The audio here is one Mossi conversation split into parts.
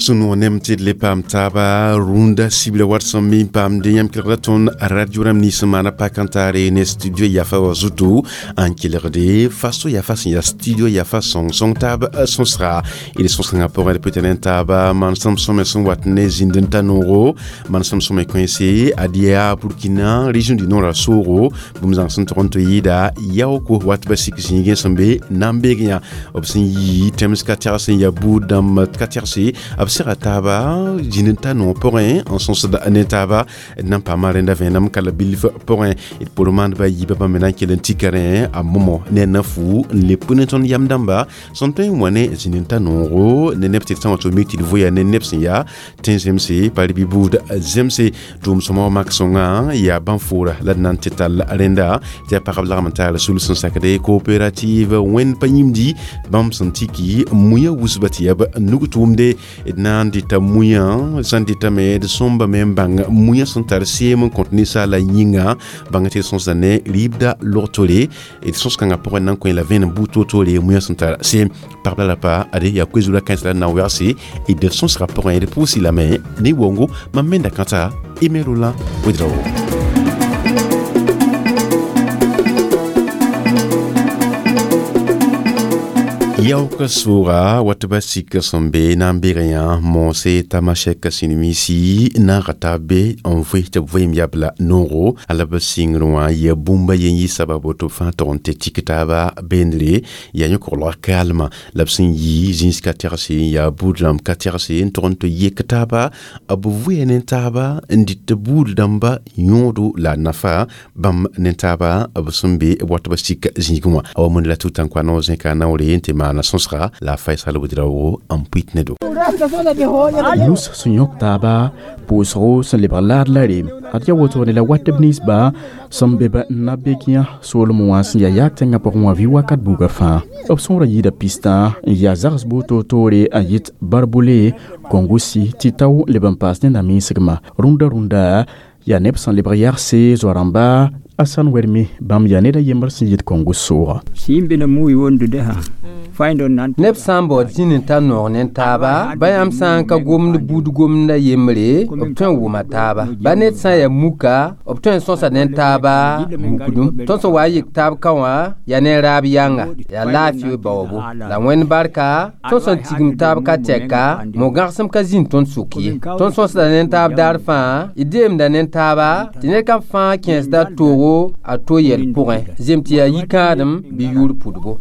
Sũ-noog nem tɩ d le paam taaba rũndã sibra wat sẽn mi n paamde yãmb kelgda tõnd radio rãmb nins sẽn maana pak n taare ne studio yafa wã zutu n kelgde faso yafa sẽn yaa studio yafa sõng-sõng taab sõsga d sõs-kãngã pʋgẽ d pʋɩ t'a ne taaba manesem sõme sẽn wat ne zĩnd n ta noogo manesem sõme kõense ad yaa Burkina région du Nord a soogo bũmb zãng sẽn tog n tɩ yɩɩda yaooko wat ba sik zĩigẽ sẽn be na n beeg yã b sẽn yi tẽms ka tɛgs sẽn yaa buud dãmb ka tɛgse b sega taaba zĩnd n ta noog pʋgẽ n sõsd ne taaba d na n paama rẽnda vẽenem ka la bilf pʋgẽ d por maandba yiibã bãmb me na n kell n tika rẽ a momo ne a na-fu n le pʋ ne tõnd yam dãmba sẽn tõe n wa ne zĩnd n ta noogo ne neb tɩ d sã n wa tɩ b mik tɩ d voya ne neb sẽn yaa tẽn zemse pa rɩ bɩ buud zemse tʋʋm sõma wa mak sõngã yaa bãn-foora la d na n tɩ tall rẽnda tɩ yaa pagb lagm n taar sul sẽn sakde coopérative wẽnd pa yĩmdi bãmb sẽn tiki muya wusba tɩ yaa b nug tʋʋmde d na n dɩta muya sãn dɩtame d sõmbame n bãng muya sẽn tar seem n kõt ninsaala yĩnga bãng tɩ d sõsda ne rɩɩbda log-tore d sõs-kãngã pʋgẽ na n kõ la vẽenem buud toor-toore muya sẽn tar seem pagb la rapa ade yaa koe-zura kãens la d na n wegse d sõsgã pʋgẽ d pʋʋs lame ne wongo mam menda kãta Aimé Roland Ouedraogo. Yaoka sʋʋga wat ba sik sẽn be na n beegã yã moose tamasɛk sĩnmisi naaga taab be n vɩ tɩ b vɩɩm yabla noogo a la b sɩngr wã ya bũmba yen yɩ sababo tɩ b fãa tog n tɩ tik taaba beendre yaa yõ-koglga kaalmã la b sẽn yi zĩis ka tɛgse n yaa buud rãmb ka tɛgse n tog n tɩ yek taaba b vʋya ne taaba n dɩt buud dãmba yõodo la a nafa bãmb ne taaba b sẽn be b wat ba sik zĩigẽ wã a wa mõnd la tʋ-tãnkwa naoor zẽka naoore n tɩ maana sõsga la a Faisal Ouedraogo n pʋɩt ne do. Nus sẽn yõk taaba pʋʋsgo sẽn lebg laad la reem ad yaa woto ne la watb ninsba sẽn be ba n na begẽ soolem wã sẽn yaa yaag tẽngã pʋgẽ wã vɩ wakat buugã fãa b sõora yɩɩda pistã n yaa zags buud toor-toore n yɩt barbole kongosi tɩ tao leb n paas ne naminsgmã rũndã rũndã yaa neb sẽn lebg yagse zoa-rãmba a sãn wɛrme bãmb yaa ned a yembr sẽn yɩt kongo sooga. Neb sã n baood zĩnd n ta noog ne taaba ba yãmb sã n ka gomd buud gomda yembre b tõe n wʋma taaba ba ned sã n yaa muka b tõe n sõsa ne taaba mukdum tõnd sẽn wa n yik taab ka wã yaa ne raab yãnga yaa laafɩ baoobo la wẽnd barka tõnd sẽn tigim taab ka tɛka mo-gãgsem ka zĩnd tõnd sʋk ye tõnd sõsda ne taab daar fãa d deemda ne taaba tɩ ned kam fãa kẽesda toogo a to yɛl pʋgẽ zem tɩ yaa yikãadem bɩ yʋʋr pudbo.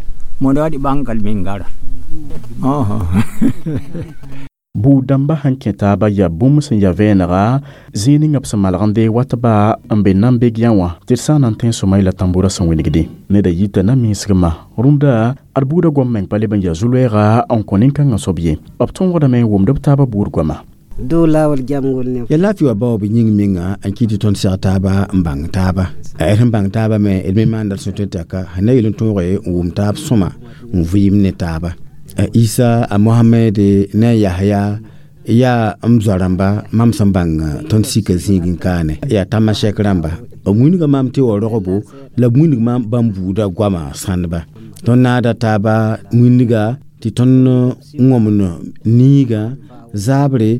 Buud dãmba sẽn kẽ taaba yaa bũmb sẽn yaa vẽenega zĩig ninga b sẽn malgende watba n be na n beg yã wã tɩ d sã n na n tẽ sõma la tãmbʋrã sẽn wĩnigde neda yita naminsgmã rũndã ad buudã goam meng pa leb n yaa zu-loɛɛga n kõ nin-kãngã soab ye b tõogdame n wʋmd b taabã buud goama. Dow laawol jamgol ne ya laafɩ wa baoob yĩng menga n kɩ tɩ tõnd seg taaba n bãng taaba d sẽn bãng taaba me d me maanda d sẽn tõe tɛka sẽn na yel n tõoge n wʋm taab sõma n vɩɩm ne taaba a Isa a Mohamed ne a Yahya yaa m zoa-rãmba mam sẽn bãng tõnd sika zĩig n kaane yaa tamasɛk rãmba b wilga maam tɩ wa rogbo la b wilg maam bãmb buudã goama sãndba tõnd naada taaba wilga tɩ tõnd wõmd niigã zaabre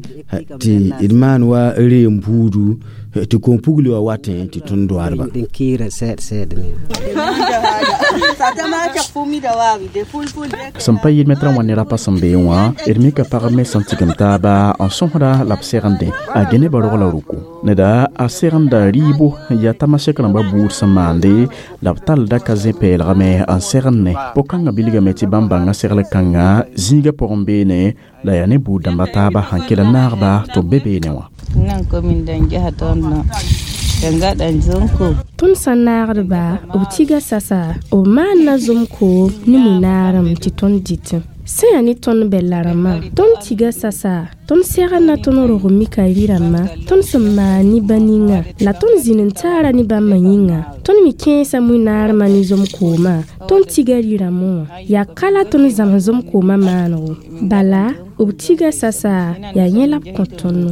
tɩ d maan wa reem buudu tɩ kom-pugli wa watẽ tɩ tõnd doaadba. Sẽn pa yɩl mɛtrã wã ne rapa sẽn beẽ wã d mika pagb me sẽn tigim taaba n sõsda la b segende a Geneba rog la ruku neda a segenda rɩɩbo n yaa tamasɛk rãmbã buud sẽn maande la b tallda ka zẽ-peelgame n segend ne po-kãngã bilgame tɩ bãmb bãnga segl kãngã zĩigã pʋgẽ beene la yaa ne buud dãmba taaba sẽn kell n naagba tɩ b be beene wã. Tõnd sã n naagdba b tiga sasa b maanna zomko ne mu-naarem tɩ tõnd dɩtẽ sẽn yaa ne tõnd bɛlla rãmbã tõnd tiga sasa tõnd segenda tõnd rog mika rɩ-rãmbã tõnd sẽn maan ne ba ninga la tõnd zĩnd n taara ne bãmbã yĩnga tõnd me kẽesa mu-naarmã ne zom-koomã tõnd tiga rɩ-rãmbẽ wã yaa ka la tõnd zãms zom-koomã maanego bala b tiga sasa yaa yẽ la b kõ tõndo.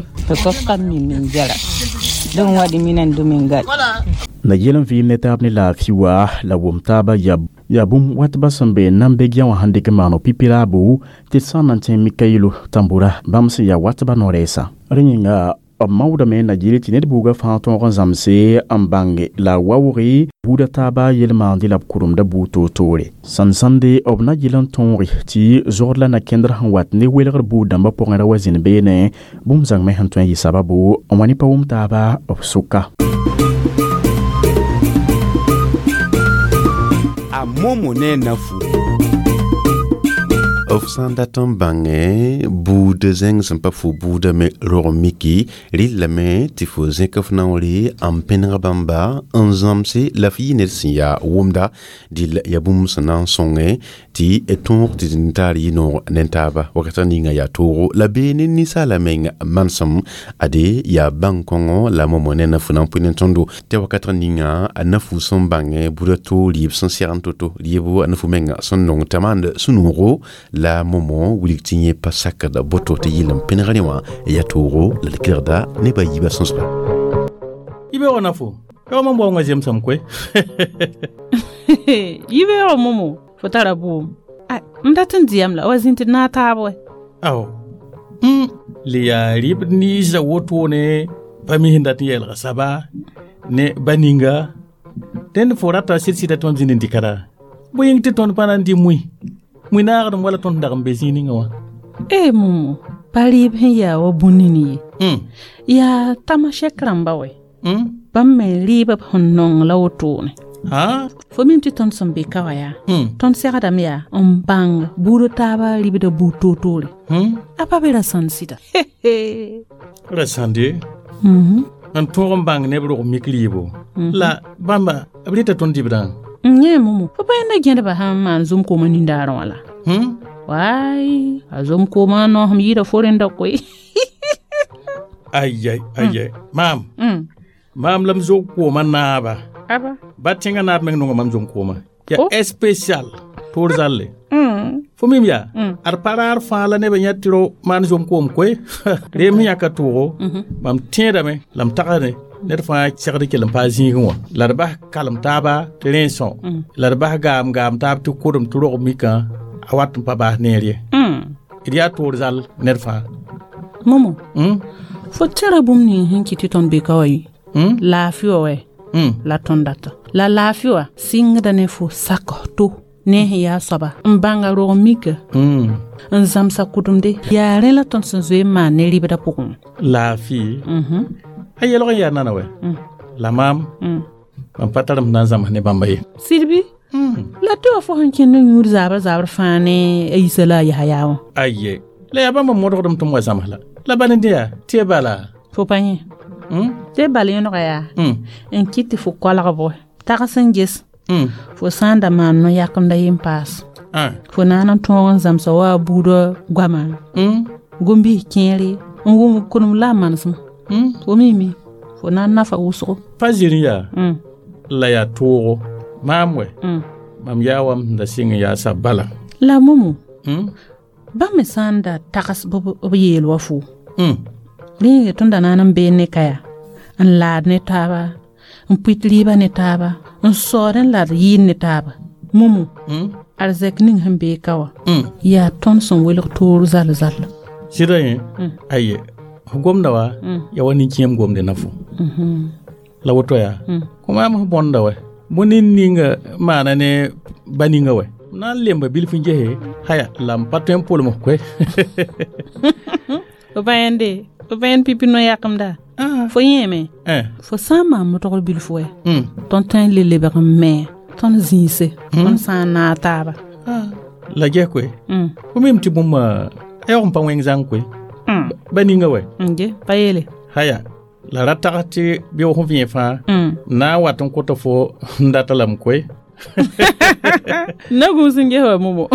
Na yɛl n vɩɩm ne taab ne laafɩ wa la wʋm taaba yaa Yaa bũmb watba sẽn be Nambegya wã sẽn dɩk n maan pipi-raabo tɩ d sã n na n tẽ Mikayilo Tambora bãmb sẽn yaa watbã no-rɛɛsã. Rẽ yĩnga b maoodame na yɩl tɩ ned buugã fãa tõog n zãmse n bãnge la a waooge buudã taaba yel-maande la b kʋremda buud toor-toore. Sãn-sãnde b na yɩl n tõoge tɩ zogd la na-kẽndr sẽn wat ne welgr buud dãmbã pʋgẽ ra wa zĩnd beene bũmb zãng me sẽn tõe n yɩ sababu n wa ne pa wʋm taaba b sʋka. A Momo ne nafu. B sã n dat n bãngẽ buud zẽng sẽn pa fo buudã me rog miki rɩllame tɩ fo zẽk f naoore n pẽneg bãmba n zãmse la f yɩ ned sẽn yaa wʋmda dɩl yaa bũmb sẽn na n sõngẽ tɩ tõog tɩ d taar yɩ noog ne taaba wakata ninga yaa toogo la bee ne ninsaala meng manesem ade yaa bãng-kõngo la momo ne nafu na n pʋɩ ne tõndo tɩ wakat ninga a nafu sẽn bãngẽ buda to rɩɩb sẽn segn to-to rɩɩbo a nafu menga sẽn nong t'a maand sũ-noogo la momo wilg tɩ yẽ pa sakd boto tɩ yɩl n pẽnegre wã yaa toogo la d kelgda nebã yiibã sõsga. Yibeoogã nafo yaoog mam waoongã zemsame koe. Yibeoogã momo fo tara bʋʋm m dat n dɩyam la wa zĩnd tɩ d naag taab wɛ. Ao le yaa rɩɩb ninsã wotone pa mi sẽn dat n yɛɛlga saba ne ba ninga dẽnd fo rata sɩd-sɩda tɩ mam zĩnd n dɩka raa bõe yĩng tɩ tõnd pa na n dɩ mui mui naagdem wala tõnd dag n be zĩig ninga wã. E momo pa rɩɩb sẽn yaa wa bũn-nin ye yaa tamasɛk rãmba wɛ bãmb me rɩɩbã sẽn nong la wotone. Fo mim tɩ tõnd sẽn be ka wã yaa tõnd segdame yaa n bãng buudã taabã rɩbdã buud toor-toore a pa be ra sãnd sɩda. Ra sãnde n tõog n bãng neb rog mik rɩɩbo la bãmba b rɩta tõnd dɩbdã. Yẽ momo fo pa yẽnda gẽdba sãn n maan zom-koomã nindaarẽ wã la waay a zom-koomã noosem yɩɩda fo rẽnda koe. Ayai ayai maam maam la m zog koomã naaba ba tẽngã naab meng nonga mam zom-koomã yaa spécial toor zalle fo mim yaa ad pa raar fãa la nebã yã tɩ ro maan zom-koom koe reem sẽn yãka toogo mam tẽedame la m tagsdẽ ned fãa segd kell n paa zĩigẽ wã la d bas kalem taaba tɩ rẽ são la d bas gaam gaam taab tɩ kodem tɩ rog mikã a wat n pa baas neer ye d yaa toor zal ned fãa. Momo fo tẽra bũmb ning sẽn kɩt tɩ tõnd be ka wa yɩ laafɩ wã wɛ la tõnd data la laafɩ wã sɩngda ne fo sak to ne sẽn yaa soaba n bãnga rog mika n zãmsa kʋdemde yaa rẽ la tõnd sẽn zoe n maan ne rɩbdã pʋgẽ. Laafɩ a yɛlg n yaa nana wɛ la maam mam pa tar m na n zãms ne bãmba ye. Sɩd bɩ la tɩ wa fo sẽn kẽnd n yũud zaabr zaabr fãa ne a yisa la a yasa yaa wã. Aye la yaa bãmba modgdem tɩ m wa zãms la la bal n dẽ yaa tɩ ya bala fo pa yẽ tɩ bal yẽnega yaa n kɩt tɩ fo koalg bʋ tags n ges fo sã n da maan no-yakemda yen paas fo na n tõog n zãmsa wa a buudã goama gom-biis kẽere n wʋm kʋdem la a manesem fo mime fo na n nafa wʋsgo. Pa zĩr yaa la yaa toogo maam wɛ mam yaa wa m da sɩng n yaa sab bala. La momo bãmb me sã n da tags b yeel wa fo rẽnge tõnd da na n bee ne ka yaa n laad ne taaba n pʋɩt rɩɩbã ne taaba n saood n la d yɩɩd ne taaba momo arzɛk ning sẽn bee ka wã yaa tõnd sẽn welg toor zal zal. Sɩda yẽ aye f gomda wa yaa wa nin-kẽem gomde na fo la woto yaa kõ maam f bõnda wɛ bõe nin ninga maana ne ba ninga wɛ na n lemba bilf n gese haya la m pa tõe n polem f koe. Fo pa yẽnde fo pa yẽnd pipi no-yakemda fo yẽeme fo sã n maan modgr bilf wɛ tõnd tõe n le lebg n me tõnd zĩise tõnd sã n naag taaba. La ges koe fo mim tɩ bũmb a yaoog n pa wẽng zãng koe ba ninga wɛ. Ge pa yeele haya la ra tags tɩ beoog sẽn vẽe fãa na n wat n kota fo n data lame koe. Na gũus n ges wa momo.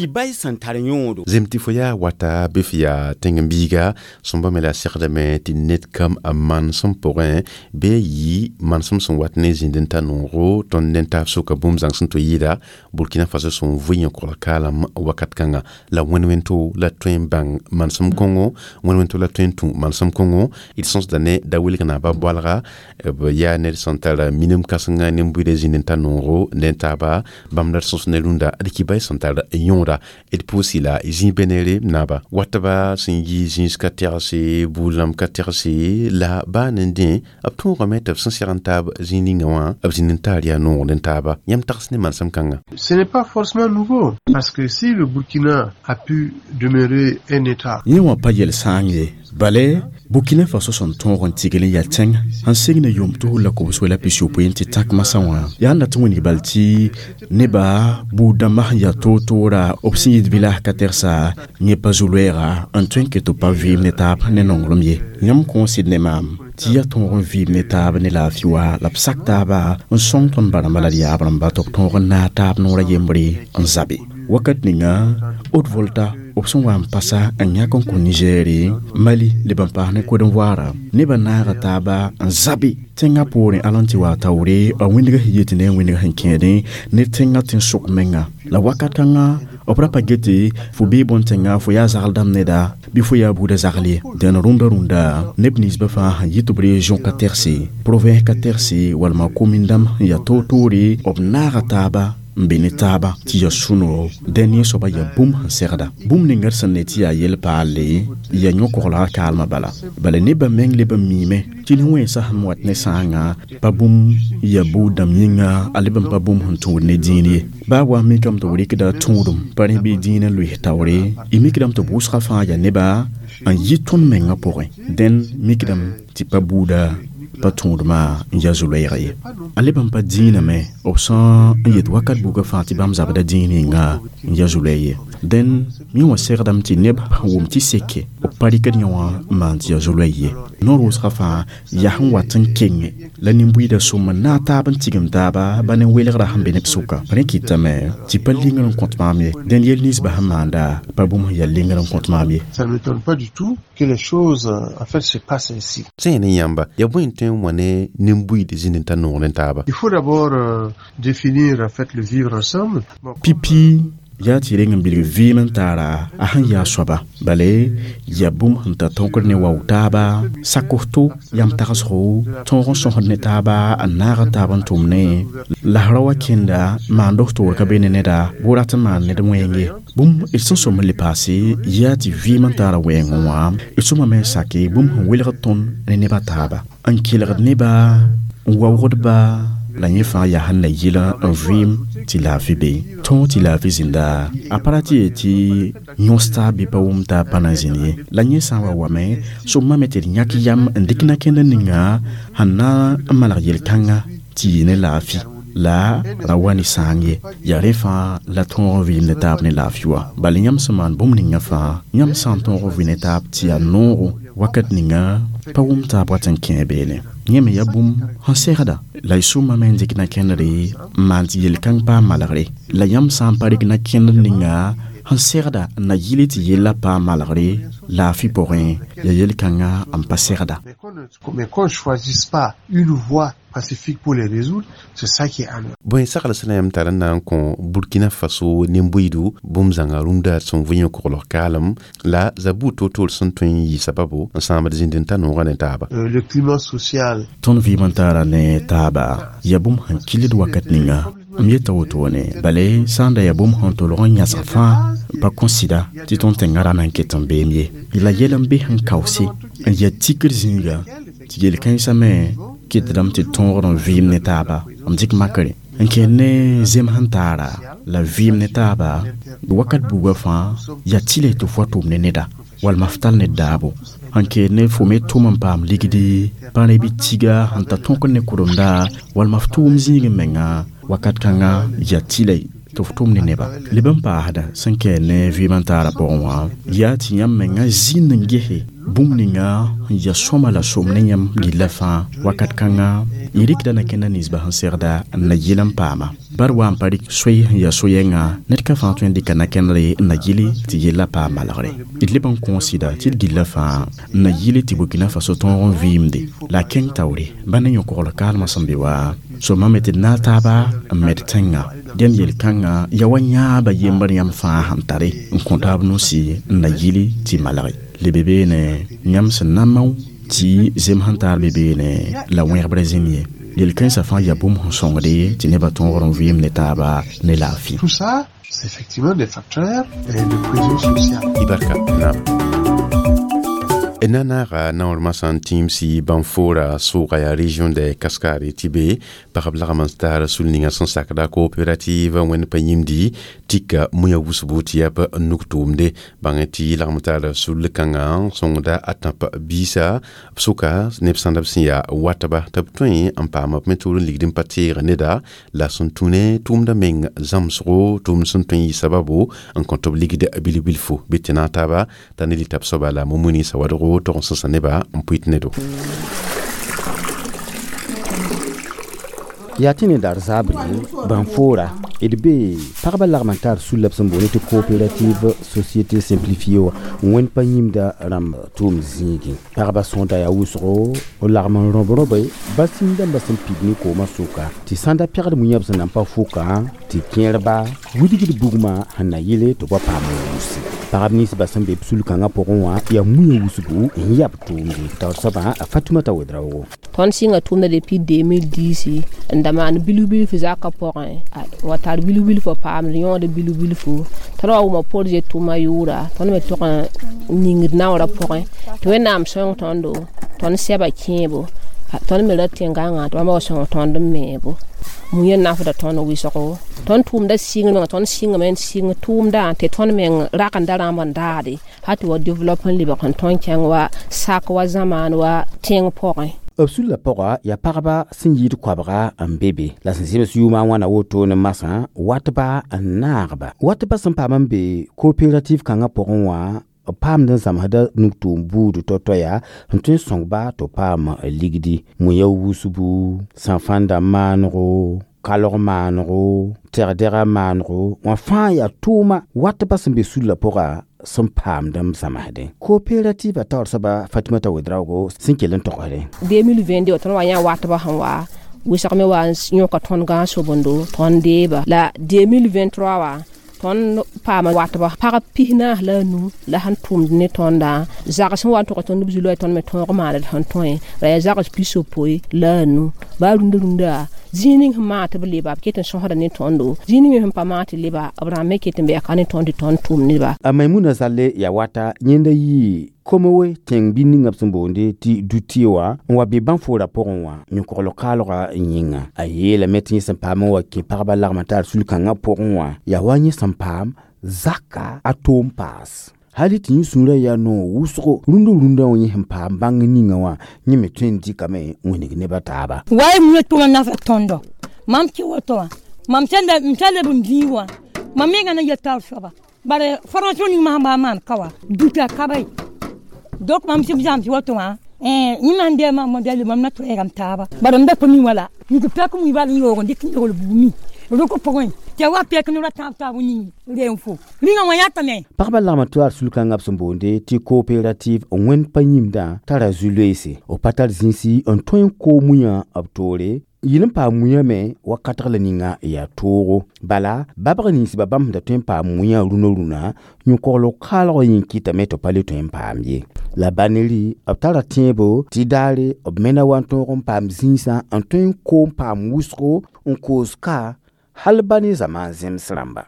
Ki-bay sẽn tar yõodo. Zem tɩ fo yaa wata bɩ f yaa tẽng-biiga sõmba me la segdame tɩ ned kam a manesem pʋgẽ bɩ yi manesem sẽn wat ne zĩnd n ta noogo tõnd ne taab sʋka bũmb zãng sẽn tɩ yɩɩda Burkina Faso sẽn vɩ yẽ kaalem wakat kãnga la wẽn-wẽnto la tõe n bãng manesem kõngo wẽn-wẽnto la tõe n tũ manesem kõngo d sõsda ne da wilg naaba boalga b yaa ned sẽn tar minim kãsenga nin-buida zĩnd n ta noogo ne taaba bãmb la d sõs ne rũndã d kibay sẽn tar yõoda d pʋʋsi la zĩ benere naaba watba sẽn yi zĩis ka tɛgse buud rãmb ka tɛgse la baa ne dẽ b tõogame tɩ b sẽn seg n taab zĩig ninga wã b zĩnd n taar yaa noogd n taaba yãmb tags ne manesem kãnga. Ce n'est pas forcément nouveau, parce que si le Burkina a pu demeurer un État. Yẽ wã pa yel-sãang ye bale Burkina Faso sẽn tõog n tigl n yaa tẽng sẽn segna yʋʋm tus la kobs la pisopoe n tɩ tak masã wã yaa n dat n wĩneg bal tɩ neba buud dãmbã sẽn yaa toor-toora b sẽn yit village ka tɛgsa yẽ pa zu-loɛɛga n tõe n ket tɩ b pa vɩɩm ne taab ne nonglem ye. Yãmb kõo sɩd ne maam tɩ yaa tõog n vɩɩm ne taab ne laafɩ wa la b sak taaba n sõng tõnd ba-rãmbã la d yaab rãmba tɩ b tõog n naag taab noorã yembre n zabe. Wakat ninga Haute-Volta b sẽn wa n pasa n yãk n kõ Nigɛɛre Mali leb n paas ne Côte d'Ivoire nebã naaga taaba n zabe tẽngã poorẽ al n tɩ wa taoore a wĩndg sẽn yet ne a wĩndg sẽn kẽedẽ ne tẽngã tẽn-sʋk menga la wakat kãngã b ra pa gete fo bee bõn-tẽnga fo yaa zagl dãmb neda bɩ fo yaa buudã zagl ye. Dẽn rũndã rũndã neb ninsbã fãa sẽn yit b région ka tɛgse province ka tɛgse walma komin dãmb sẽn yaa toor-toore b naaga taaba n be ne taaba tɩ yaa sũ-noogo dẽn yẽ soaba yaa bũmb sẽn segda bũmb ninga d sẽn ne tɩ yaa yel-paalle yaa yõ-koglgã kaalmã bala bala nebã meng leb n miime tɩ ne wẽnsã sẽn wat ne sãangã pa bũmb yaa buud dãmb yĩnga a leb n pa bũmb sẽn tũud ne dĩin ye baa wa mikame tɩ b rɩkda tũudum pa rẽ bɩ dĩinã loes taoore y mikdame tɩ wʋsgã fãa yaa neba n yɩ tõnd mengã pʋgẽ dẽn mikdame tɩ pa buuda pa tũudmã n yaa zu-loɛɛga ye. A leb n pa dĩinã me b sã n yet wakat buga fãa tɩ bãmb zabda dĩin ninga n yaa zu-loɛɛ ye. Dẽn yẽ wã segdame tɩ neb sẽn wʋm tɩ seke b pa rɩkd yẽ wã n maan tɩ yaa zu-loɛɛ ye. Noor wʋsgã fãa yaa sẽn wat n kenge la nin-buiidã sõm n naag taab n tigim taaba ba ne welgrã sẽn be neb sʋka. Rẽ kɩtame tɩ pa lingr n kõt maam ye. Dẽn yel ninsbã sẽn maanda pa bũmb sẽn yaa lingr n kõt maam ye. Ça ne m'étonne pas du tout que les choses en fait se passent ainsi. Sẽn yaa ne yãmba yaa bõe n tõe n wa ne nin-buiid zĩnd n ta noog ne taaba. Il faut d'abord définir en fait le vivre ensemble. Pipi yaa tɩ reng n bilg vɩɩm n taara a sẽn yaa soaba bale yaa bũmb sẽn tar tõkr ne wao taaba saksto yam tagsgo tõog n sõsd ne taaba n naaga taab n tʋm ne la ra wa kẽnda maand f toor ka be ne neda bʋ rat n maan ned wẽng ye. Bũmb d sẽn sõm n le paase yaa tɩ vɩɩm n taara wɛɛngẽ wã d sõmame n sake bũmb sẽn welgd tõnd ne nebã taaba n kelgd neba n waoogdba la yẽ fãa yaa sẽn na yɩl n vɩɩm tɩ laafɩ be tõog tɩ laafɩ zĩnda a pa ra tɩ yee tɩ yõs taab bɩ pa wʋm taab pa na zĩnd ye. La yẽ sã n wa wame sõmame tɩ d yãk yam n dɩk na-kẽndr ninga sẽn na n maneg yel-kãnga tɩ yɩ ne laafɩ la ra wa ne sãang ye. Yaa rẽ fãa la tõog n vɩɩm ne taab ne laafɩ wã bala yãmb sẽn maan bũmb ninga fãa yãmb sã n tõog n vɩ ne taab tɩ yaa noogo wakat ninga pa wʋm taab wat n kẽe beene. Yẽ me yaa bũmb sẽn segda la y sõmame n dɩk na-kẽndre n maan tɩ yel-kãng paam malgre la yãmb sã n pa rɩk na-kẽndr ninga sẽn segda n na yɩl tɩ yellã paam malgre laafɩ pʋgẽ yaa yel-kãngã n pa segda. Mais qu'on ne choisisse pas une voie pacifique pour les résoudre, c'est ça qui est anormal. Bõe sagl sẽn na yãmb tar n na n kõ Burkina Faso nin-buiidu bũmb zãnga rũndã sẽn vɩ yẽ koglg kaalem la zabuud toor-toor sẽn tõe n yɩ sababo n sãamd zĩnd n ta noogã ne taaba. Le climat social. Tõnd vɩɩm n taara ne taaba yaa bũmb sẽn kɩlд wakat ninga m yeta wotone bale sã n da yaa bũmb sẽn tolg n yãsg fãa pa kõ sɩda tɩ tõnd tẽngã ra na n ket n beem ye. La yɛl n be sẽn kaoose n yaa tikr zĩiga tɩ yel-kãensã me kɩtdame tɩ tõogd n vɩɩm ne taaba m dɩk makre n kẽer ne zem sẽn taara la vɩɩm ne taaba wakat buugã fãa yaa tɩ tɩ f wa tʋm ne neda walma f tall ned daabo sẽn keer ne fo me tʋm n paam ligdi pa rẽ bɩ tiga sẽn ta tõkd ne kʋremda walma f tʋʋm zĩig menga wakat kãngã yaa tɩ tɩ f tʋm ne neba leb n paasda sẽn kɛɛ ne vɩɩm n taara pʋgẽ wã yaa tɩ yãmb menga zĩnd n gese bũmb ninga n yaa sõma la som ne yãmb gilla fãa wakat kãnga y rɩkda na kẽnda ninsbã sẽn segda n na yɩl n paama. Bar wa n pa rɩk soe n yaa so-yɛngã ned ka fãa tõe n dɩka na-kẽndre n na yɩle tɩ yellã paam malgre. D leb n kõ sɩda tɩ d gilla fãa n na yɩle tɩ Burkina Faso tõog n vɩɩmde la a kẽng taoore ba ne yõ-kogl kaalmã sẽn be wa sõma me tɩ d naag taaba n med tẽngã. Dẽnd yel-kãngã yaa wa yãaba yembr yãmb fãa sẽn tare n kõ taab nusi n na yɩle tɩ malge. Lebe beene yãmb sẽn na mao tɩ zem sẽn taar be beene la wẽgebrã zĩm ye. Yel-kãensã fãa yaa bũmb sẽn sõngde tɩ nebã tõogr n vɩɩm ne taaba ne laafɩ. Tout ça, c'est effectivement des facteurs de cohésion sociale. Ibarka naam. Na naaga naoor masã n tĩimsi bãn-foora sʋʋga yaa région de Cascade tɩ be pagb lagm n taar sul ninga sẽn sakda coopérative wẽnd pa yĩmdi tika muya wʋsbo tɩ yaa b nuk tʋʋmde bãng tɩ lagm taar sul kãngã sõngda a tãp biisa b sʋka neb sãnda b sẽn yaa watba tɩ b tõe n paam b me tʋʋr n ligd n pa teeg neda la sẽn tũ ne tʋʋmdã meng zãmsgo tʋʋmd sẽn tõe n yɩ sababu n kõ tɩ b ligd bil-bilfu bɩ tɩ naag taaba t'a ne lita b soaba la Mumuni Sawadogo tog n sõsa neba n pʋɩt nedo. Yaa tɩ ne dar zaabre bãn-foora d be pagba lagm n tar sulla b sẽn boond tɩ coopérative société simplifiée wã wẽnd pa yĩmda rãmb tʋʋm zĩigẽ. Pagba sõda yaa wʋsgo b lagm n rõb rõbe ba sĩndãmbã sẽn pid ne koomã sʋka tɩ sãnda pɛgd mu-yã b sẽn na n pa fʋkã tɩ kẽerba wilgd bugmã sẽn na yɩle tɩ b wa paam n wʋse. Pagb ninsbã sẽn be b sul-kãngã pʋgẽ wã yaa mu-yã wʋsgo n yab tʋʋmde taoor soabã a Fatumata Wedraogo. Tõnd sɩnga tʋʋmda depuis 2010 n da maan bilf-bilf zakã pʋgẽ wa tar bilf-bilf paamd yõod bilf-bilfu. Tõnd wa wʋma projet tʋʋma yʋʋra tõnd me tog n ningd naoorã pʋgẽ tɩ Wẽnnaam sõng tõndo tõnd sɛba kẽebo tõnd me ra tẽn-gãngã tɩ bãmba wa sõng tõnd n meebo. Mu-yã nafda tõnd wɩsgo tõnd tʋʋmda sɩngr tõnd sɩngame n sɩng tʋʋmdã tɩ tõnd meng rakenda rãmb n daade hal tɩ wa develop n lebg n tõnd kẽng wa sak wa zamaan wa tẽng pʋgẽ. B sulla pʋga yaa pagba sẽn yɩɩd koabga n be be la sẽn zems yʋʋmã wãna wotone masã watba n naagba. Watba sẽn paam n be coopérative kãngã pʋgẽ wã b paamd n zãmsda nug-tʋʋm buud tɔ-toaya n tõe n sõngba tɩ b paam ligdi mu-ya wusbu, sãn-fãnda maanego, kalg maanego, tɛgdɛga maanego wã fãa yaa tʋʋma watba sẽn be sulla pʋga sẽn paamd n zãmsdẽ. Coopérative a taoor soaba Fatumata Wedraogo sẽn kell n togsdẽ. 2022 tõnd wa yã watba sẽn wa wɩsg me wa n yõka tõnd gãag sobendo tõnd deeba la 2023 wã tõnd paama watba pag 45 la sẽn tʋmd ne tõndã zags sẽn wa n tog tõnd b zulã tõnd me tõog maand sẽn tõe la yaa zags 65 baa rũndã rũndã zĩig ning sẽn maan tɩ b leba b ket n sõsda ne tõndo zĩig ning me sẽn pa maan tɩ leba b rãmb me ket n bɩ ka ne tõnd tɩ tõnd tʋm neba. A Maimuna Zalle yaa wata yẽnda yɩ Komowe tẽng bi ninga b sẽn boonde tɩ dutɩ wã n wa be bãn-foorã pʋgẽ wã yõ-kogl kaalgã yĩnga. A yeelame tɩ yẽ sẽn paam n wa kẽ pagba lagm n tar sul-kãngã pʋgẽ wã yaa wa yẽ sẽn paam zaka a toom paas. Hali tɩ yẽ sũurã yaa noog wʋsgo rũndã rũndã wã yẽ sẽn paam bãng ninga wã yẽ me tõe n dɩkame n wilg nebã taaba. Wa y mu tʋma nafa tõndo mam kɩ woto wã mam sẽn leb n bĩig wã mam menga na yel taoor soaba bare formation ning masã baa maan ka wa duta ka ba ye. Donc mam sɩb zãms woto wã yẽ man dee mam dali mam na tʋɛɛgame taaba bare m da pa mi wala yik pɛk mui bal n yoog n dɩk n yogl bugmi rʋk pʋgẽ tɩ wa pɛk ne ra tãab taab ning reen fo rĩngã wã yãtame. Pagba lagm tɩ ar sul-kãngã b sẽn boonde tɩ coopérative wẽnd pa yĩmdã tara zu-loeese b pa tar zĩisi n tõe n koog mu-yã b toore yɩl n paam mu-yã me wakatg la ninga yaa toogo. Bala babg ninsbã bãmb sẽn da tõe n paam mu-yã rũnã rũnã yõ-kogl kaalg yĩn kɩtame tɩ b pa le tõe n paam ye. La baneri b tara tẽebo tɩ daare b me na wa n tõog n paam zĩisã n tõe n koom paam wʋsgo n koos ka hal ba ne zamaan zems rãmba.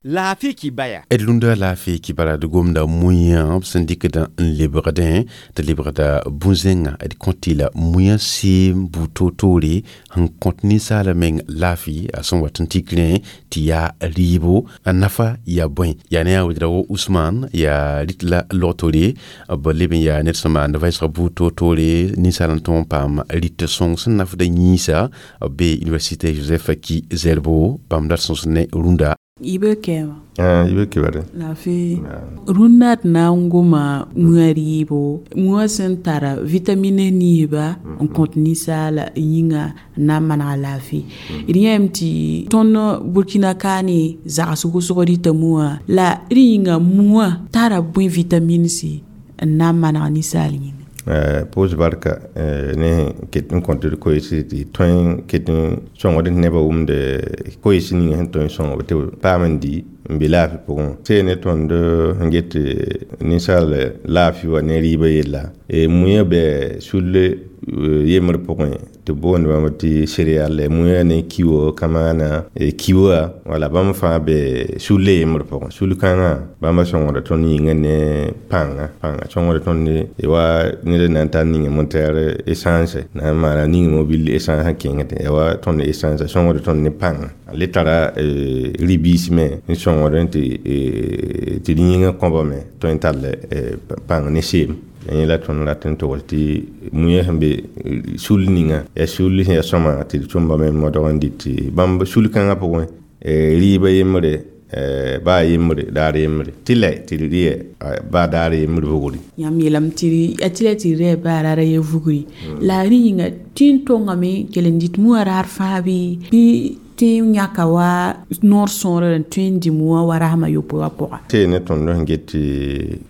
Laafɩ kibaya. D lunda laafɩ kibara d gomda mu-yã b sẽn dɩkd n lebgdẽ tɩ lebgda bũ-zẽngã d kõt tɩ la mu-yã seem buud toor-toore sẽn kõt ninsaala meng laafɩ a sẽn wat n tik rẽ tɩ yaa rɩɩbo a nafa yaa bõe yaa ne yaa Wedraogo Usman yaa rɩt la log-toore b leb n yaa ned sẽn maand vɛɛsg buud toor-toore ninsaal n tõog n paam rɩt sõng sẽn nafda yĩnsa b be université Joseph Ki Zerbo bãmb dat sõs ne rũndã. Ibe kɛma. Ah, ibe kɛbɛrɛ. Laafee. Rũnnã d na n goma mũa rɩɩbo, mũa sẽn tara vitamine niisba n kõt ninsaala yĩnga n na n manega laafɩ. D yãame tɩ tõnd Burkina kaane zags wʋsg rɩta mũa la d yĩnga mũa tara bõe vitaminsi n na n maneg ninsaal yĩnga? Pʋʋs barka ne ket n kõt d koees tɩ tõe ket n sõngd nebã wʋmd koees ninga sẽn tõe n sõng tɩ b paam n di n be laafɩ pʋgẽ. See ne tõnd sẽn get ninsaal laafɩ wã ne rɩɩbã yella, mũyã bɛ sulle yembr pʋgẽ tɩ b boond bãmb tɩ céréale, mũyã ne kiwo, kamaana, kiwa, wala bãmb fãa be sulle yembr pʋgẽ. Sul kãngã bãmba sõngda tõnd yĩngã ne pãnga, pãnga sõngda tõnd wa ned n na n tar ninga moteur essence na n maana ning mobile essence n kẽngd ya wa tõnd essence sõngda tõnd ne pãnga. Le tara ribis me n sõngd tɩ d yĩngã kõba me tõe n tall pãng ne seem. Yẽ la tõnd rat n togs tɩ mũyã sẽn be sul ninga yaa sul sẽn yaa sõma tɩ d tʋmbame modg n dɩt tɩ bãmb sul kãngã pʋgẽ rɩɩbã yembre, baa yembre, daar yembre tɩ lɛ tɩ d rɩɛ baa daar yembre vugri. Yãmb yeelame tɩ a tɩ lɛ tɩ d rɩɛ baa raara ye vugri la rẽ yĩnga tɩ n tongame kell n dɩt mũã raar fãa bɩ tɩ n yãka wa noor sõor n tõe n dɩ mũã wa rasem a yopoe wã pʋga. Tɩ ne tõnd sẽn get tɩ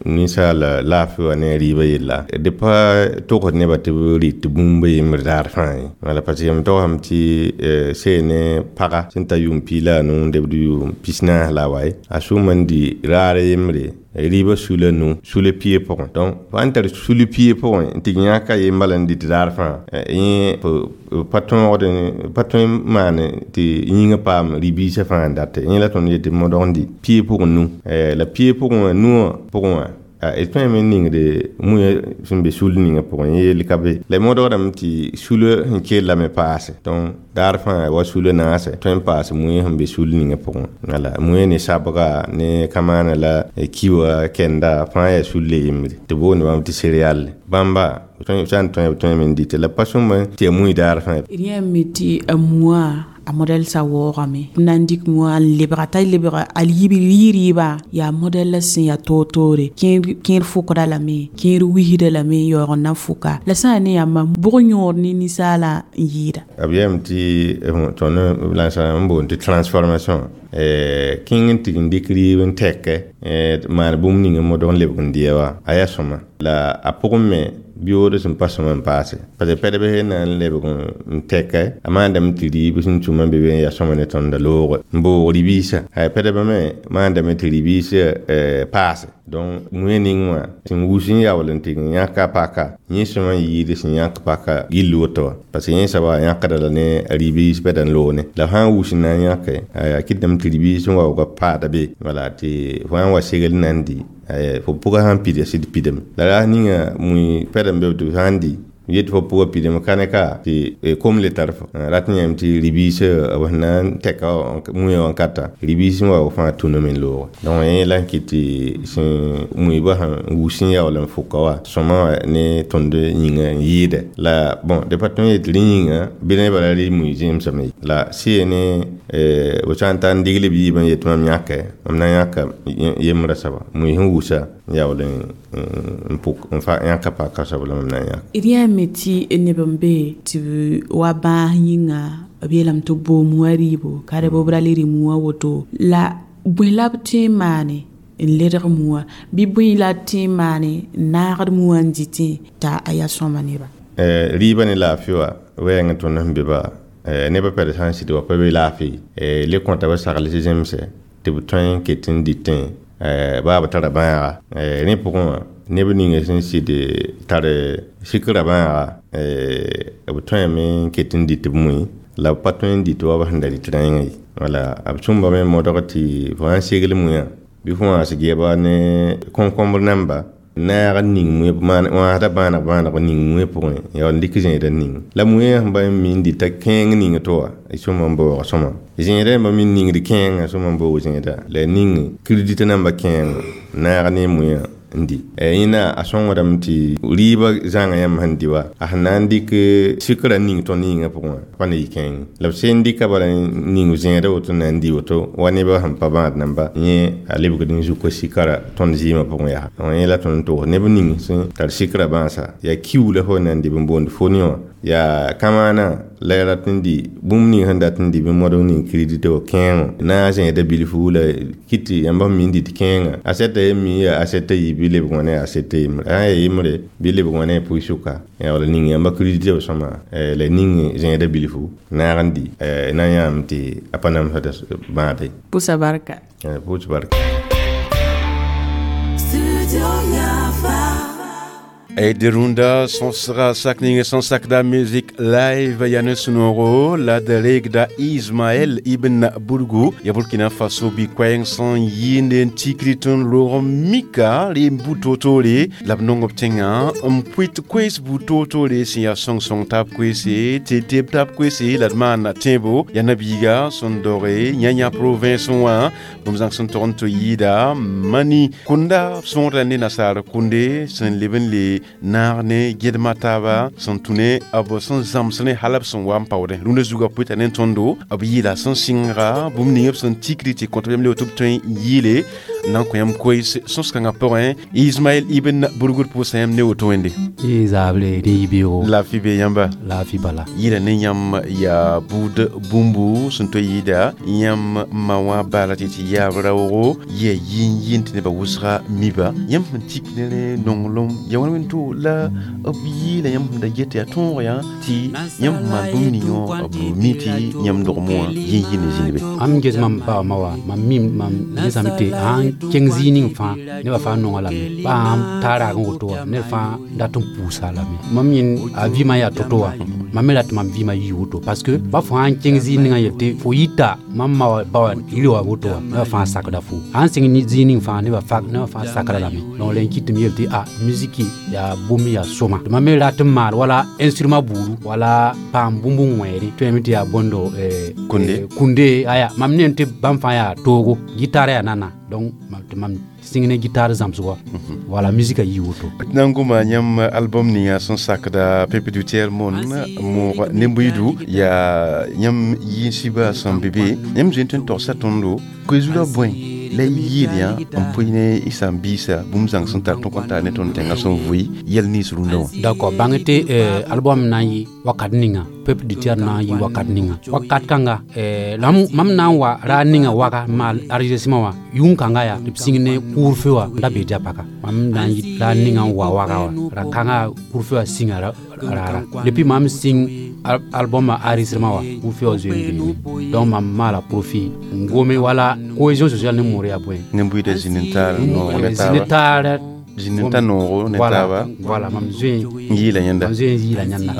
ninsaal laafɩ wã ne rɩɩbã yella d pa togsd nebã tɩ b rɩt tɩ bũmb yembr daar fãa ye. Wala parce que m togsame tɩ see ne paga sẽn ta yʋʋm piig la a nuu n debd yʋʋm pis-naas la a wa ye, a sʋʋm n dɩ raar yembre rɩɩbã sula nu sula pie pʋgẽ. Donc fo sãn tar sul pie pʋgẽ n tɩ yãka ye bala n dɩt daar fãa, yẽ pa tõogd pa tõe n maan tɩ yĩngã paam rɩ-biisã fãa n date. Yẽ la tõnd yetɩ modg n dɩ pie pʋgẽ nu. La pie pʋgẽ wã nuwã pʋgẽ wã d tõeme n ningd mũyã sẽn be sul ninga pʋgẽ, yẽ yell ka be. La modgdame tɩ sulã sẽn kellame paase. Donc daar fãa wa sulã naase tõe n paas mũyã sẽn be sul ninga pʋgẽ. Wala mũyã ne sabga ne kamaana la kiwa kɛnda fãa yaa sulle yembre tɩ boond bãmb tɩ céréale. Bãmba sã n tõe b tõeme n dɩte la pa sõma tɩ yaa mũy daar fãa. D yãame tɩ a mũa a modɛl sa waoogame b na n dɩk mũa n lebga t'a lebga a yib rɩ-rɩɩbã yaa modɛl la sẽn yaa toor-toore, kẽer fʋkda lame, kẽer wisda lame n yaoog n na fʋka. La sã n ne yãmba bʋg yõod ne ninsaalã n yɩɩda? B yeelame tɩ tõnd la n boond tɩ transformation kẽng n tɩg n dɩk rɩɩb n tɛkɛ maan bũmb ning n modg n lebg n dɩa wã a yaa sõma la a pʋgẽ me biood sẽn pa sõma n paase. Parce que pɛdb sẽn na n lebg n tɛkɛ a maandame tɩ rɩɩb sẽn tũm n be be n yaa sõma ne tõnda looge n boog rɩ-biisã. Pɛdbã me maandame tɩ rɩ-biisã paase. Donc mũyã ning wã sẽn wus n yaool n tɩg n yãka paka yẽ sõma n yɩɩd sẽn yãk paka gill woto wã. Parce que yẽ soaba yãkda la ne rɩ-biis pɛd n loog ne. La sã n wus n na n yãke a kɩtdame tɩ rɩ-biis sẽn waooga paada be. Wala tɩ fo sã n wa segl n na n dɩ fo pʋgã sãn pida sɩd pidame. La ras ninga mũi pɛd n be tɩ sã n dɩ yet fo pʋgã pidame ka ne ka tɩ kom le tar fo rat n yãame tɩ rɩ-biisã b sẽn na n tɛka mũyã wã n ka ta rɩ-biis sẽn wa fãa tũname n looge. Donc yẽ la n kɩt tɩ sẽn mũibã sẽn wus n yaool n fʋka wã sõma wã ne tõnd yĩngã n yɩɩdɛ. La bon d pa tõe n yet rẽ yĩnga bɩ nebã la rɩ mui zẽmsame ye. La sɩ ne b sã n ta n digl b yiibã n yet mam yãke mam na yãka yembrã soaba mui sẽn wusa n yaool n pʋk n yãka paka soab la mam na n yãk. D yãame tɩ neb n be tɩ b wa bãas yĩnga b yeelame tɩ b boog mũa rɩɩbo ka d b ra le rɩ mũa woto la bõe la b tõe n maane n ledg mũa bɩ bõe la tõe n maane n naagd mũa n dɩtẽ t'a a yaa sõma nebã? Rɩɩbã ne laafɩ wã wɛɛng tõnd sẽn be ba nebã pɛd sã n sɩd wa pa be laafɩ le kõta b sagl zemsɛ tɩ b tõe n ket n dɩtẽ baa b tara bãaga. Rẽ pʋgẽ wã neb ninga sẽn sɩd tar sikra bãaga b tõeme n ket n dɩt b mũi la b pa tõe n dɩt wa b sẽn da dɩt rẽngã ye. Wala b sõmbame modg tɩ fo sã n segl mũyã bɩ fo wãas gɛɛba ne kõn-kõmbr namba naag n ning mũyã wãasda bãaneg bãaneg n ning mũyã pʋgẽ ya n dɩk zẽedã ning. La mũyã sẽn ba n mi n dɩta kẽeng ning tɩ wa sõma n baoog sõma. Zẽedã yãmba mi n ningd kẽengã sõma n baoog zẽeda la ning kirdit namba kẽeng naag ne mũyã n di. Yẽna a sõngdame tɩ rɩɩbã zãnga yãmb sẽn di wa a sẽn na n dɩk sikra ning tõnd yĩngã pʋgẽ wã pa ne yɩ kẽeng la b sẽn dɩka bala ning zẽeda woto na n di woto wa nebã sẽn pa bãad namba yẽ a lebgd n zuka sikara tõnd zɩɩmã pʋgẽ yaa. Yẽ la tõnd n togs neb ning sẽn tar sikra bãasa yaa kiu la fo na n dɩ b n boond foni wã yaa kamaana la ya rat n di bũmb ning sẽn dat n di bɩ modg ning kredit wã kẽengo na n zẽeda bilfu la kɩt tɩ yãmb sẽn mi n dɩt kẽengã asɛta ye mi yaa asɛta yi bɩ lebg wã ne asɛta yembre sã n yaa yembre bɩ lebg wã ne a pʋɩ-sʋka wala ning yãmba kredit wã sõma la ning zẽeda bilfu naag n di na n yãame tɩ a pa namsda bãade. Pʋsa barka. Pʋs barka. E runda sõsga sak ning sẽn sakda music live yaa ne sũ-noogo la d reegda Ismaël Ibn Burgu ya Burkina Faso bɩ koɛɛng sẽn yɩɩnde n tikri tõnd roog mika re n bu toor-toore la b nong b tẽngã n pʋɩt koees bu toor-toore sẽn yaa sõng-sõng taab koeese tɩ teb taab koeese la d maan tẽebo yaa nabiiga sẽn doge yã-yã province wã bũmb zãng sẽn tog n tɩ yɩɩda mani kũnda sõorda ne nasaar kũnde sẽn leb n le naag ne gẽdma taaba sẽn tũ ne b sẽn zãms ne hal b sẽn wa n paoodẽ rũndã zugã pʋɩta ne tõndo b yɩɩla sẽn sɩnga bũmb ning b sẽn tikri tɩ kõt yãmb le tɩ b tõe n yɩɩle n na n kõ yãmb koees sõs-kãngã pʋgẽ. Ismaɛl Ibn Burgud pʋʋsa yãmb ne woto wẽnde. Zabre ne yibeoogo. Laafɩ be yãmba. Laafɩ bala. Yɩɩla ne yãmb yaa buud bũmbu sẽn tõe yɩɩda yãmb ma wã baala tɩ tɩ yaab raoogo yɩa yĩn-yĩn tɩ nebã wʋsga miba yãmb sẽn tik ne rẽ nonglem ya wãn wẽnd to la b yɩɩla yãmb sẽn da get yaa tõog yã tɩ yãmb sẽn maan bũmb ning wã b mi tɩ yãmb dogem wã yĩn-yĩn n zĩnd be. Am ges mam ba ma wa mam mim mam gesame tɩ sãn kẽng zĩig ning fãa nebã fãa nonga lame ba sãn taa raag n woto wã ned fãa dat n pʋʋsa lame mam yẽnd a vɩɩmã yaa to-to wã mam me rat tɩ mam vɩɩmã yɩ woto parce que ba fo sãn kẽng zĩig ninga yel tɩ fo yita mam ma wa ba wã yiri wa woto wã nebã fãa sakda fo sãn sɩng zĩig ning fãa nebã fãa sakra lame donc la n kɩt tɩ m yel tɩ a musiki yaa bũmb yaa sõma tɩ mam me rat n maal wala instrument buudu wala paam bũmb n wẽere tõeme tɩ yaa bõndo kunde aya mam ne tɩ bãmb fãa yaa toogo gitare yaa nana donc tɩ mam sɩng ne gitare zãmsgɔ wala musique a yɩ woto. D na n goma yãmb album ninga sẽn sakda Peuple du Tiers Monde moog nembuidu yaa yãmb yĩnsibã sẽn be be yãmb zoe n tõe n togsa tõndo koe-zugã bõe la yɩɩl yã n pʋɩ ne y sãn-biisã bũmb zãng sẽn tar tõk n tar ne tõnd tẽngã sẽn vʋɩ yɛl nins rũndã wã. D'accord, bãng tɩ album na n yɩ wakat ninga Peuple du Tiers na n yɩ wakat ninga wakat kãnga mam na n wa raar ninga waga n maal enregistrement wã yʋng-kãnga yaa tɩ b sĩng ne couvre-feu wã n da bee dia paka mam na n yɩ raar ninga n wa waga wã ra kãnga couvre-feu wã sĩnga raara depuis mam sĩng album enregistrement wã couvre-feu wã zoe n beeme donc mam maala profit n gome wala cohésion sociale ne moor yaa bõe. Nembuiida zĩnd n taar noog ne zĩnd taar zĩnd n ta noogo ne taaba. Voilà, mam zoe n yɩɩla yẽnda. Mam zoe n yɩɩla yẽnda.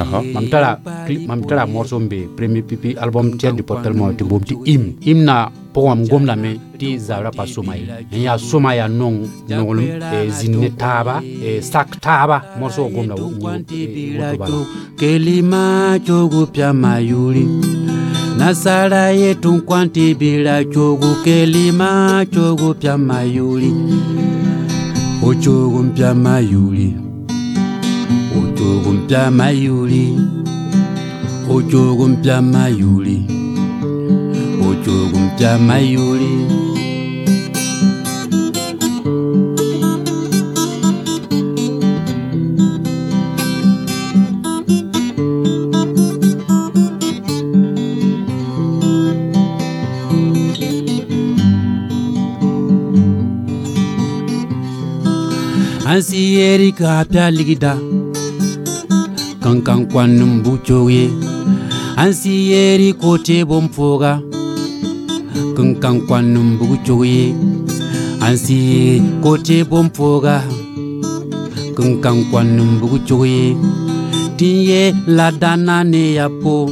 Mam tara morceau n be premier pipi album Tiers du Portel mo tɩ boom tɩ hymne hymne pʋgẽ mam gom lame tɩ zabra pa sõma ye n yaa sõma yaa nong nonglem zĩnd ne taaba sak taaba morceau wã gomda woto bala. Kelima chogu pya mayuri nasara yetu nkwanti bila chogu kelima chogu pya mayuri ochogu mpya mayuri ochogu mpya mayuri ochogu mpya mayuri ochogu mpya mayuri. Ansi erika pya ligida kankan kwanum buchoye ansi eri kote bomfoga kankan kwanum buchoye ansi kote bomfoga kankan kwanum buchoye tinye la dana ne yapo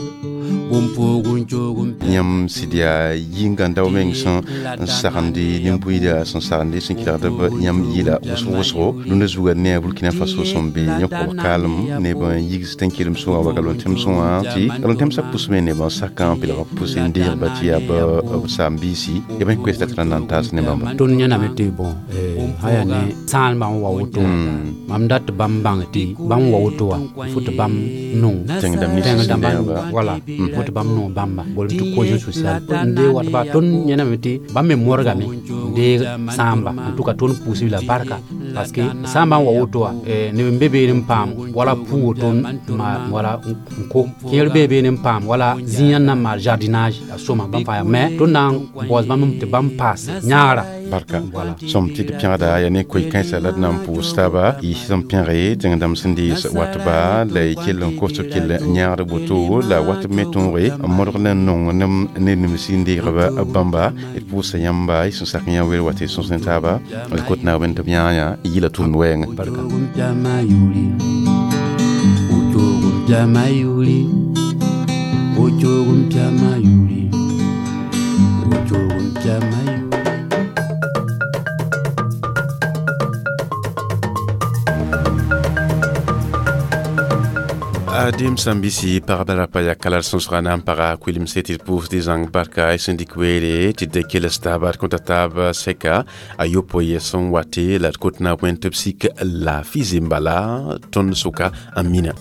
Yãmb sɩd yaa yĩnga-dao meng sẽn n sagende nin-buiida sẽn sagende sẽn kelgd b yãmb yɩla wʋsg wʋsgo rũndã zuga ne a Burkina Faso sẽn be yẽ-kob kaalem neb n yigs tẽn-kelem sõnga wa galon-tẽmsẽ wã tɩ galon-tẽmsã pʋsme neb n sakã n pelg b pʋs n deegba tɩ yaa b saam-biisi ya bõe koɛɛs la tɩ na n taas ne bãmba. Tõnd yẽname tɩ bõn sã yaa ne sãanbã n wa woto mam dat tɩ bãmb bãng tɩ bãmb wa woto wã fo tɩ bãmb nong tẽng-dãmbã wala fo tɩ bãmb nong bãmba bolem tɩ cohésion sociale n deeg wat ba tõnd yẽname tɩ bãmb me modgame n deeg sãamba en tout cas tõnd pʋʋsb la barka parce que sãambã n wa woto wã neb n be beene n paam wala pʋ woto wala n ko kẽer bee beene n paam wala zĩig n na n maan jardinage a sõma bãmb fãa mais tõnd na n baoos bãmb tɩ bãmb paas yãagra. Barka sõm tɩ d pẽgda yaa ne koe-kãensã la d na n pʋʋs taaba y sẽn pẽge tẽng-dãmb sẽn dees watba la y kell n kos b kell yãagd woto la wat b me tõoge n modg la n nong ne nims n deegb bãmba d pʋʋsa yãmba y sẽn sak yã wel wa tɩ sõs ne taaba d kot naawẽnd tɩ b yãa yã yila tʋʋmd wɛɛngẽ. Adem sãn-bisi pagba la pa yaa kala sõsga na n paga kuilemse tɩ d pʋʋsd zãng barka y sẽn dɩk weere tɩ d keles taaba d kõta taab sɛka a yopoe sẽn wate la d kot na wẽn tɩ b sik laafɩ zembala tõnd sʋka n mina.